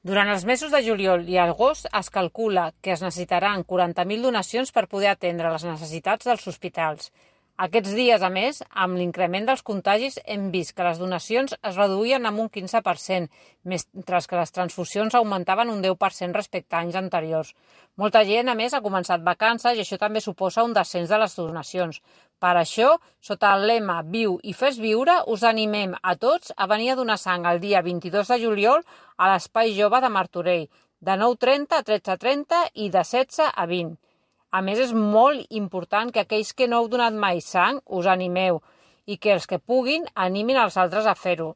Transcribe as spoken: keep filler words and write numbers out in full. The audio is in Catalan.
Durant els mesos de juliol i agost es calcula que es necessitaran quaranta mil donacions per poder atendre les necessitats dels hospitals. Aquests dies, a més, amb l'increment dels contagis hem vist que les donacions es reduïen en un quinze per cent, mentre que les transfusions augmentaven un deu per cent respecte a anys anteriors. Molta gent, a més, ha començat vacances i això també suposa un descens de les donacions. Per això, sota el lema Viu i fes viure, us animem a tots a venir a donar sang el dia vint-i-dos de juliol a l'Espai Jove de Martorell, de nou trenta a tretze trenta i de setze a vint. A més, és molt important que aquells que no heu donat mai sang us animeu i que els que puguin animin els altres a fer-ho.